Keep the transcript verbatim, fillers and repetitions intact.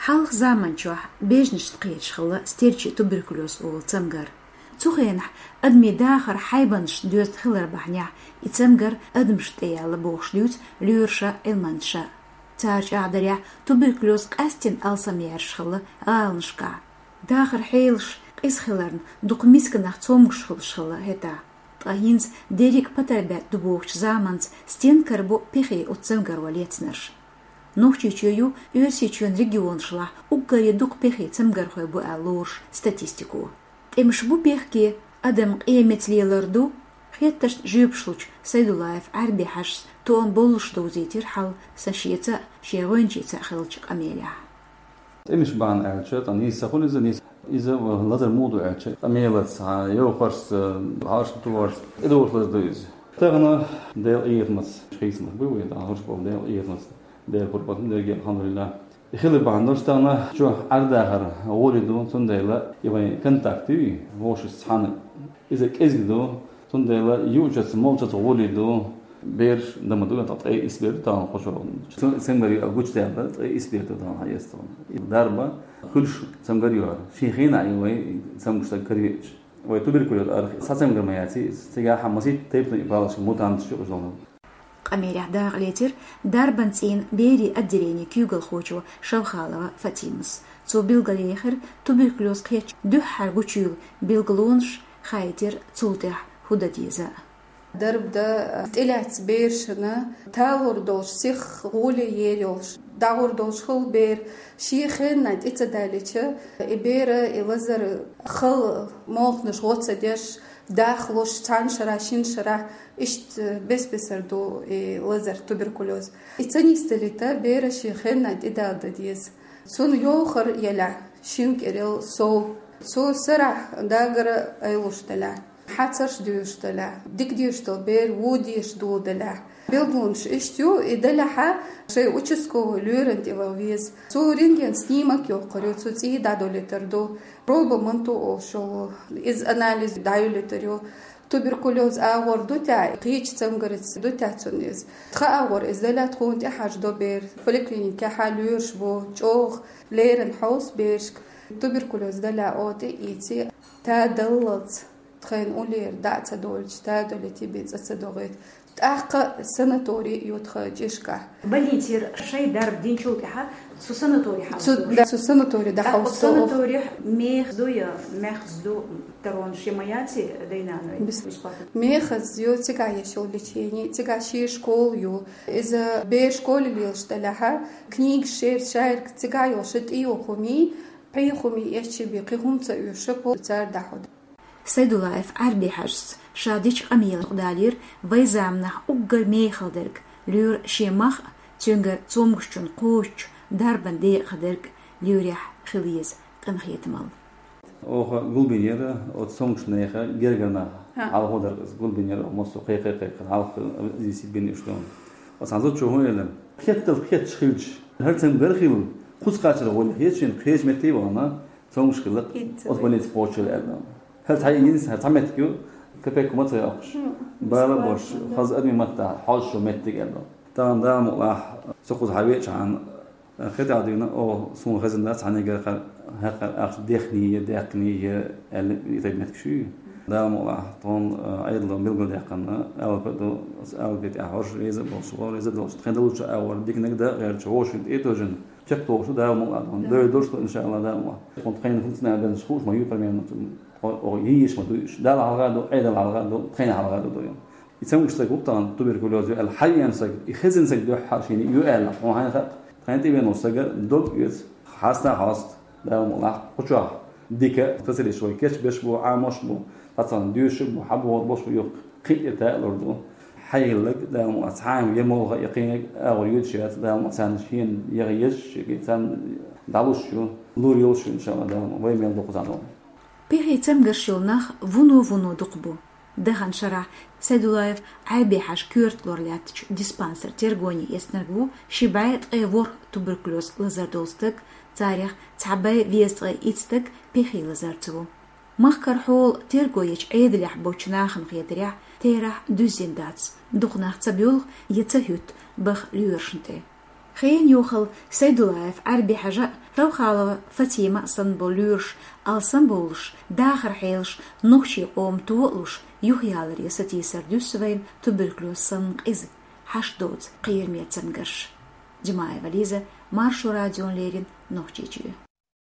Хьалха заманчохь бежанашна кхеташ хилла стерчий туберкулез олу цамгар. Цу хенахь адамийн дахар хьайбанашна доьзна хилар бахьанехь, и цамгар адамашна тӀеяьлла бохуш дуьйцу лоьраша, Ӏилманчаша. Цара чӀагӀдарехь, туберкулез къаьсттина алсамъярш хилла гӀаланашкахь. Дахар хьелаш къиза хиларна, дукха мисканах цомгуш хуьлуш хилла хӀетахь. Ткъа хӀинца дерриг а патарбетта ду бохучу заманца стенна карабо пехий оцу цамгаро лецнарш? Нохчийчоь ю Оьрсийчоьнан регионашлахь уггаре дукха пехий цамгархой бу аьлла лоруш статистико. ТӀемаш бу бехке, адам къематца лелар ду? Хеттаршна жоьпаш лучу Сайдуллаев Ӏаьрби-Хьаьжас тоам боллуш довзийтира хьал сан шеца а, шен гӀоьнчица а хиллачу къамелехь. ТӀемаш бахьана аьлча, цхьа нийса ца хуьлу иза, нийса иза лазар муха ду аьлча, къамелаца, йовхарца, хьалашна тухарца, тӀедогӀуш лазар ду иза. Тахана Делан къинхетамца хийцамаш бу вайн, тахана хӀорш болу Делан къинхетамца, Делан пурба ду дерриге, алхьамдулиллахӀ. И хилар бахьана долуш тахана чохь Ӏардахар гӀоле ду, цундела и вайн контакт ю, вовшашца цхьаьна иза кӀезиг ду, цундела юучуьнца, молчуьнца гӀоле ду, бераш дан ма ду, ткъе исс бер ду тахана кху чохь. Цу цамгар ю аьлла гучудаьлла, ткъе исс бер ду тахана хьаэцна. И дарба хуьлуш цамгар ю хӀара. Шен хенахь ю вай цамгуш стаг каравеъча. Вай туберкулез арахь схьа цамгар ма яц иза. Цигахь масийтта тайпана и палаш мутанташ ю уьш долу. Къамелехь дакъа лецира дарбан цӀийнан берийн отделенин куьйгалхочо Шавхалова Фатимас. Цо билгалъяьхира туберкулез кхеттачу дуьххьара гучуйолу билгалонаш, хаийтира цул тӀаьхьа хӀун дан деза. Дарба дан тӀелаьцна берашна талор долуш, сиха гӀоле ер йолуш, дӀагӀур долуш хуьлу бер, шен хенахь тӀе ца далийча, и бер, и лазар хала молханаш гӀо ца деш, дахлуш, цхьана шарахь, шина шарахь, иштта бес-бесара ду и лазар, туберкулез. И ца нисдалийта, бер шен хенахь тӀедала дан деза. Цунна йовхар елахь, шина кӀирал сов, цо сарахь дагара айлуш делахь, хьацарш доьшуш делахь, дика дезаш долу бер вон дезаш доладелахь. Билгалонаш иштта ю, и делахь а шайн участковый лоьрана тӀе ван веза. Цо рентген снимок йоккхур ю, цо цӀий дӀадолуьйтур ду. Проба манту олуш йолу, иза анализ дӀаюьлуьйтур ю. Туберкулез агӀор ду те, кхечу цамгаца ду те цунна иза. Тхан агӀор иза делахь, тхуна тӀе хьажадо бер. Поликлиникехь лоьраш бу, чӀогӀа леррина хьовса берашка. Туберкулез делахь, оха тӀе а ийци, тадаллалц, тхайна уллера дӀа а ца долуьйтуш, тадалийта, бен цӀа ца догӀийта. ТӀаккха санаторий ю тхан чӀишкахь. Больницера шайн дарба динчул тӀаьхьа цу санаторий хьалха Цу, ду. Да, цу санаторий тӀаккха дӀахьовсо. Санаторий мехаза ду я мехаза ду, таронаш я ма яций дай-наной? Бис-, бесплатно. Мехаза ю, цигахь еш йолу лечение, цигахь шен школа ю. Иза бер школе лелаш делахь, книгаш шераш шайраг цигахь йолуш, тӀе йолу хӀума, пхьегӀа хӀума эшчи бен, кхин хӀума ца оьшу, пол цара дӀахьо. Сайдуллаев Ӏаьрби-Хьаьжас ша дечу къамелехь далийра вайн заманахь уггар мехала дерг, лоьра шен мах а, цуьнгара цомгушчунна кхочуш дарбан декъахь дерг лоьрехь хила еза къинхетамалла. Оха гулбинера оцу цомгушчу нехан гергара нах. Ха. Хьалха дара иза, гулбинера оха массо кхайкхай-кхайкхай хьалха иза бина уьш хилла. Оцу хьан зудчо хӀун элира? Хеттал хетташ хилча, хӀара цамгар хилла, кхуза кхачара гӀоле хеташ, шен кхечу метте а вахана, цомгуш хилла, оцу больница кхочуш аьлла. ХӀара цхьа йинас, хӀара цхьа меттиг ю, капек хӀума ца йоккхуш. Бала бош, хаза адамийн маттахь хьожуш йолу меттиг аьлла. Тахана Дала мукъалахь, со кхуза хьан веачахьана, хи тӀехь дуьйна, о, суна хезна дац, цхьаьнгара хӀара, хӀара ахча дехний я, даьккхиний я аьлла, и тайпа меттигаш ю. Дала мукъалахь, тхуна Ӏедало билгалдаьккхина, алапа ду, алапа тӀехь хӀорш реза а болуш, вон реза а долуш, тхайн долчу агӀор диканиг дан а гӀерташ, вовшийн тӀе а тожина, чекхдохуш ду Дала мукъалахь тхуна. Дойла долуш ду, иншааллахӀ, Дала мукъалахь. Тхуна тхайна функционально бен хууш ма ю, примерно, тхо, о, йиш ма ду уьш. Дала хьалха ду, Ӏедал хьалха ду, тхайна хьалха ду, ду ю. И цамгуш стаг ву тахана туберкулез ю аьлла хьаеана стаг, и хезна стаг дуьххьара шена ю аьлла, хьуна хьайна хаьа, тхайна тӀе веана волу стага дог оьцу, хьаста а хьоста, Дала мукъалахь, кху чохь дика специалисташ вай кечбеш бу, Ӏамош бу, цхьацарна доьшуш бу, хьан бохург болуш бу, юха кхин а тӀе таалур ду. Хьайиллаг, Дала мукъалахь, цхьа а я молха, я кхиниг агӀор йоьдуш яц, Дала мукъалахь, царна шена яха езаш, царна дӀалуш ю, лур йолуш ю, иншааллахӀ, Дала мукъалахь, вай мел дукха зӀаьна. Пехий цамгарш йолу нах вуно-вуно дукха бу. Дахана шарахь Сайдуллаев Ӏаьрби-Хьаьжа коьрта лор лаьттачу диспансеран тергоне эцнарг ву ши бӀе ткъе ворхӀ туберкулез лазар долу стаг, царех цхьа бӀе везткъе итт стаг пехий лазарца ву. Махкара хьола терго ечу Ӏедалехь болчу нахана хетарехь, терахь дуьззина дац, дукха нах ца боьлху я ца хӀуьтту баха лоьрашна тӀе. Хенан йохал Сайдулаев Ӏарби-Хьажа а, Равхалова Фатима а санна болу лоьраш алсамбовлуш, дахаран хьелаш нохчийн къоман тохалуш, юхаяларе сатийсар дуьсу вайна туберкулёз санна къиза, хьашт доцу кхераме цамгарш. Димаева Лиза, Маршо радиона леррина, Нохчийчоь.